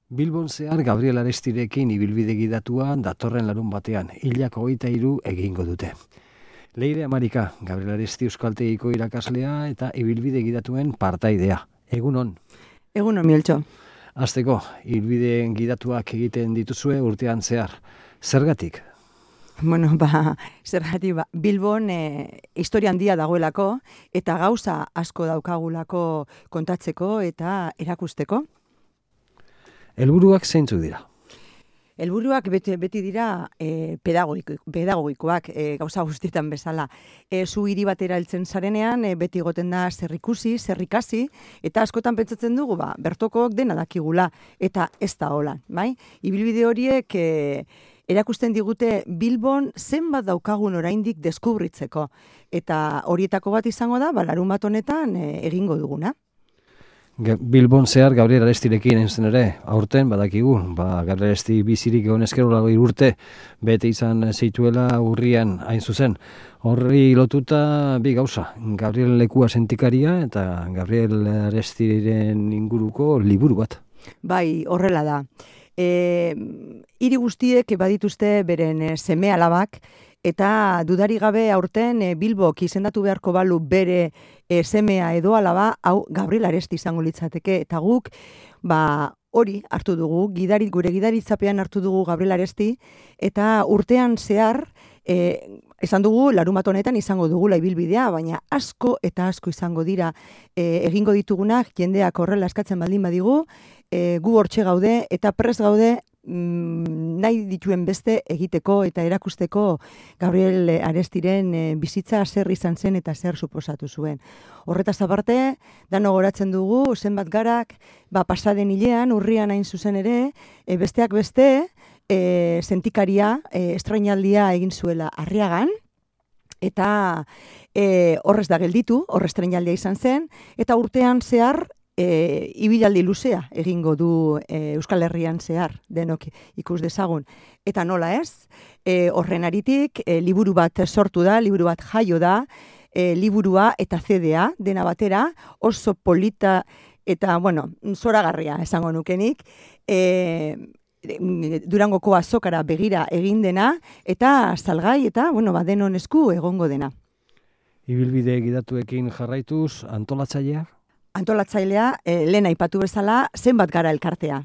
Bilbon zehar Gabriel Arestirekin ibilbide gidatua datorren larun batean, hilak 23 egingo dute. Leire Amarika, Gabriel Aresti euskaltegiko irakaslea eta ibilbide gidatuen partaidea. Egunon. Egunon, Mieltxo. Hasteko, ibilbideen gidatuak egiten dituzue urtean zehar. Zergatik? Bueno, zergatik, Bilbon historia handia dagoelako eta gauza asko daukagulako kontatzeko eta erakusteko. Helburuak zeintzuk dira? Helburuak beti dira pedagogikoak, gauza guztietan bezala. Zu hiri batera heltzen zarenean, beti egoten da zer ikusi, zer ikasi, eta askotan pentsatzen dugu, bertokok dena dakigula, eta ez da hola, bai? Ibilbide horiek erakusten digute Bilbon zenbat daukagun oraindik deskubritzeko, eta horietako bat izango da, larun bat honetan egingo duguna. Bilbon zehar Gabriel Arestirekin entzen ere, aurten badakigu, Gabriel Aresti bizirik egon eskerola urte, bete izan zituela urrian hain zuzen. Horri lotuta bi gauza, Gabriel lekua sentikaria eta Gabriel Arestiren inguruko liburu bat. Bai, horrela da. Hiri guztiek badituzte beren seme alabak, eta dudari gabe aurten Bilbok izendatu beharko balu bere semea edo alaba, hau Gabriel Aresti izango litzateke, eta guk hori hartu dugu, gure gidaritzapean hartu dugu Gabriel Aresti, eta urtean zehar, esan dugu, larun bat honetan izango dugula ibilbidea, baina asko eta asko izango dira egingo ditugunak, jendeak horrela eskatzen baldin badigu, gu hortxe gaude eta prest gaude nahi dituen beste egiteko eta erakusteko Gabriel Arestiren bizitza zer izan zen eta zer suposatu zuen. Horretaz aparte, dano goratzen dugu, zenbat garak, pasaden hilean, urrian hain zuzen ere, besteak beste, sentikaria, estrainaldia egin zuela Arriagan, eta horrez da gelditu, horre estrainaldia izan zen, eta urtean zehar, ibilaldi luzea egingo du Euskal Herrian zehar, denok ikus dezagun. Eta nola ez, horren aritik, liburu bat sortu da, liburu bat jaio da, liburua eta CD-a dena batera, oso polita eta, zoragarria esango nukenik, Durangoko azokara begira egin dena, eta salgai eta, denon esku egongo dena. Ibilbide gidatuekin jarraituz, antolatzaileak? Antolatzailea, lehen aipatu bezala, zenbat gara elkartea.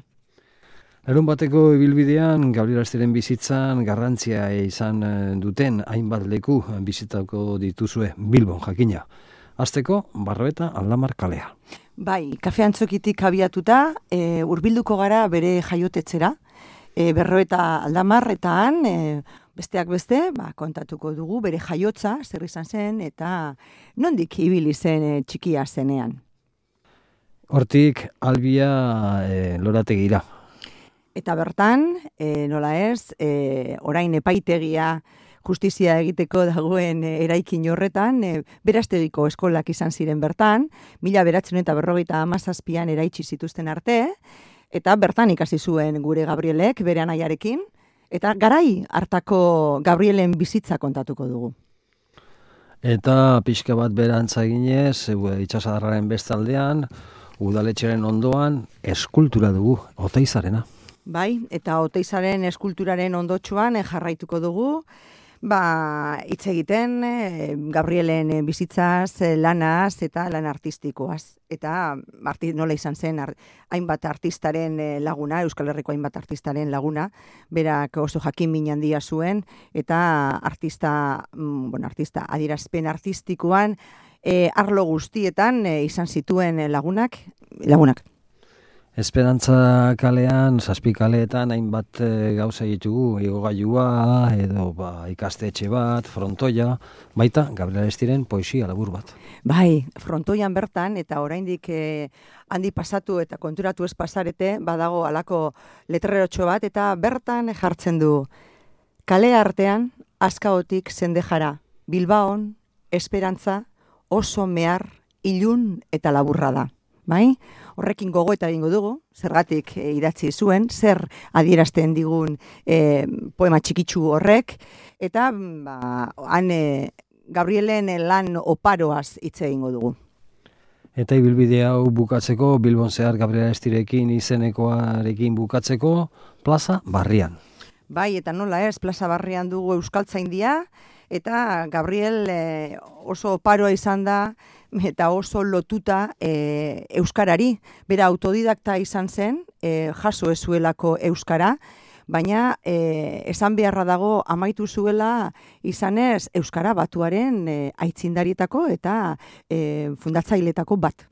Larun bateko ibilbidean, Gabriel Arestiren bizitzan garrantzia izan duten hainbat leku bizitako dituzue Bilbon jakina. Hasteko, Barroeta Aldamar kalea. Bai, kafe antzokitik abiatuta, hurbilduko gara bere jaiotetzera, Barroeta Aldamarretan, besteak beste, kontatuko dugu bere jaiotza, zer izan zen, eta nondik ibili zen txikia zenean. Hortik, Albia lorategira. Eta bertan, nola ez, orain epaitegia justizia egiteko dagoen eraikin horretan, Berastegiko eskolak izan ziren bertan, 1957an eraitsi zituzten arte, eta bertan ikasi zuen gure Gabrielek bere anaiarekin, eta garai hartako Gabrielen bizitza kontatuko dugu. Eta pixka bat berantza ginez, itsasadarraren bestaldean, udaletxeren ondoan eskultura dugu, Oteizarena. Bai, eta Oteizaren eskulturaren ondotxoan jarraituko dugu, hitz egiten Gabrielen bizitzaz, lanaz eta lan artistikoaz. Eta nola izan zen hainbat artistaren laguna, Euskal Herriko hainbat artistaren laguna, berak oso jakin min handia zuen, eta artista adierazpen artistikoan, arlo guztietan izan zituen lagunak. Esperantza kalean, 7 kaleetan hainbat gauza ditugu, igogailua edo ikastetxe bat, frontoia, baita Gabriel Arestiren poesia labur bat. Bai, frontoian bertan, eta oraindik handi pasatu eta konturatu ez pasarete, badago halako letrerotxo bat, eta bertan jartzen du, kale artean, azkaotik zendejara, Bilbaon, esperantza, oso mehar, ilun eta laburra da. Bai? Horrekin gogoeta egingo dugu, zergatik idatzi zuen, zer adierazten digun poema txikitsu horrek, eta han Gabrielen lan oparoaz hitz egingo dugu. Eta ibilbide hau bukatzeko, Bilbon zehar Gabriel Arestirekin izenekoarekin bukatzeko, plaza Barrian. Bai, eta nola ez, plaza Barrian dugu Euskaltzaindia, eta Gabriel oso paroa izan da, eta oso lotuta euskarari. Bera autodidakta izan zen, jaso ez zuelako euskara, baina esan beharra dago amaitu zuela izanez Euskara Batuaren aitzindarietako eta fundatzailetako bat.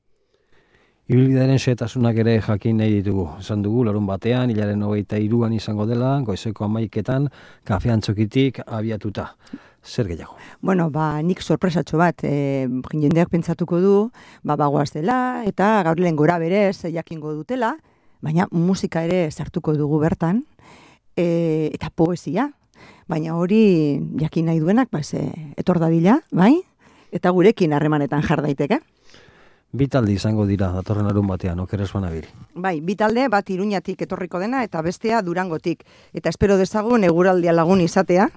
Ibilbidearen xehetasunak ere jakin nahi ditugu. Esan dugu, larun batean, hilaren 23an izango dela, goizeko 11etan, kafean txokitik abiatuta. Zer gehiago? Bueno, nik sorpresatxo bat, jendeak pentsatuko du, bagoaz dela, eta Gabrielen gora berez jakingo dutela, baina musika ere sartuko dugu bertan, eta poesia. Baina hori jakin nahi duenak, etor dadila, bai? Eta gurekin harremanetan jar daiteke. Bi talde izango dira datorren larun batean, okeres banabil. Bai, bi talde, bat Iruñatik etorriko dena eta bestea Durangotik. Eta espero dezagun eguraldia lagun izatea.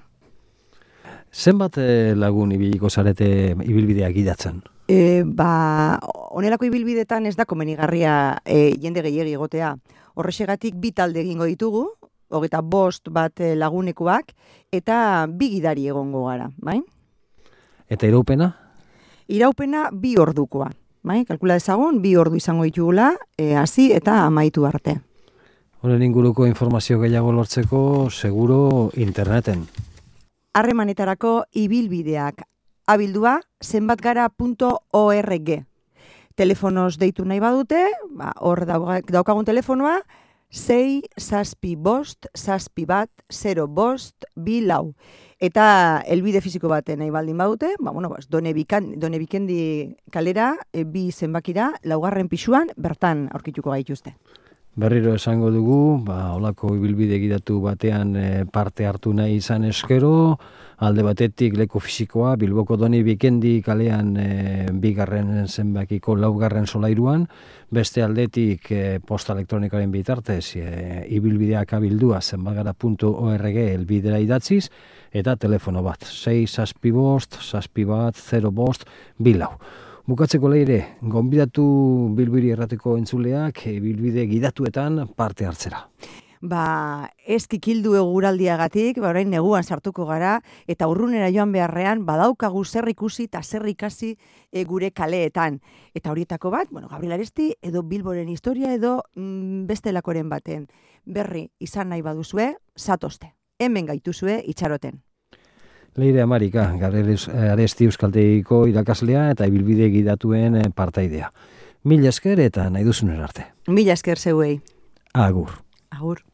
Zenbat lagun ibiliko zarete ibilbideak gidatzen? Honelako ibilbidetan ez da komenigarria jende gehiegi egotea. Horrexegatik bi talde egingo ditugu, 25 bat lagunekoak, eta bi gidari egongo gara, bai? Eta iraupena? Iraupena 2 ordukoa. Bai, kalkula dezagun, 2 ordu izango ditugula, hasi eta amaitu arte. Honen inguruko informazio gehiago lortzeko, seguro interneten. Harremanetarako ibilbideak abildua zenbatgara.org. Telefonoz deitu nahi badute, hor daukagun telefonoa, 6-7-5-7-1-0-5-2 eta elbide fiziko baten nahi baldin badute, Done Bikendi kalera, 2 zenbakira, 4. pisuan, bertan aurkituko gaituzte. Berriro esango dugu, holako ibilbide gidatu batean parte hartu nahi izan eskero, alde batetik leku fisikoa, Bilboko Done Bikendi kalean 2. zenbakiko 4. solairuan, beste aldetik posta elektronikaren bitartez, ibilbideak abildua zenbatgara.org elbidera idatziz, eta telefono bat, 6-7-5-7-1-0-5-2. Bukatzeko leire, gonbidatu Bilbiri errateko entzuleak bilbide gidatuetan parte hartzera. Ez kikildu eguraldiagatik, orain neguan sartuko gara, eta urrunera joan beharrean, badaukagu zer ikusi eta zer ikasi gure kaleetan. Eta horietako bat, Gabriel Aresti, edo Bilboren historia, edo bestelakoren baten. Berri izan nahi baduzue, zatozte. Hemen gaituzue itxaroten. Leire Amarika, Gabriel Aresti euskaltegiko irakaslea eta ibilbide gidatuen partaidea. Mila esker eta nahi duzunen arte. Mila esker zeuei. Agur. Agur.